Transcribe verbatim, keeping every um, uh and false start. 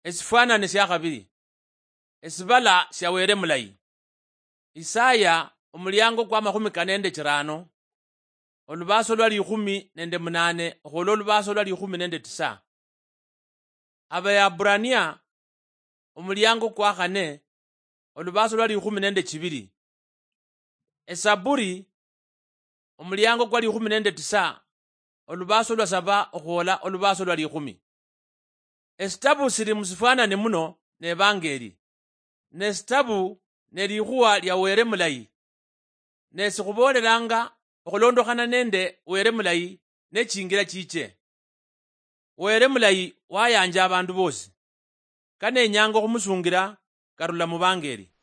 Esifwanane sia khabiri. Esibala sia Wele Mulayi. Isaya, omuliango kwa makhumi kane nende chirano, olubaaso lwa likhumi nende munane okhwola olubaaso lwa likhumi nende tisa. Abaebrania, omuliango kwa khane, olubaaso lwa likhumi nende chibiri. Esaburi, omuliango kwa likhumi nende tisa, olubaaso lwa saba okhwola olubaaso lwa likhumi. Esitabu sili musifwanane muno n'Evangeli. Ne sitabu ne likhuwa lia Wele Mulayi. Ne sikhuboolelanga okhulondokhana nende Wele Mulayi ne chingira chiche. Wele Mulayi wayanja abandu bosi. Kanenyanga okhumusungira karula mu Vangeli.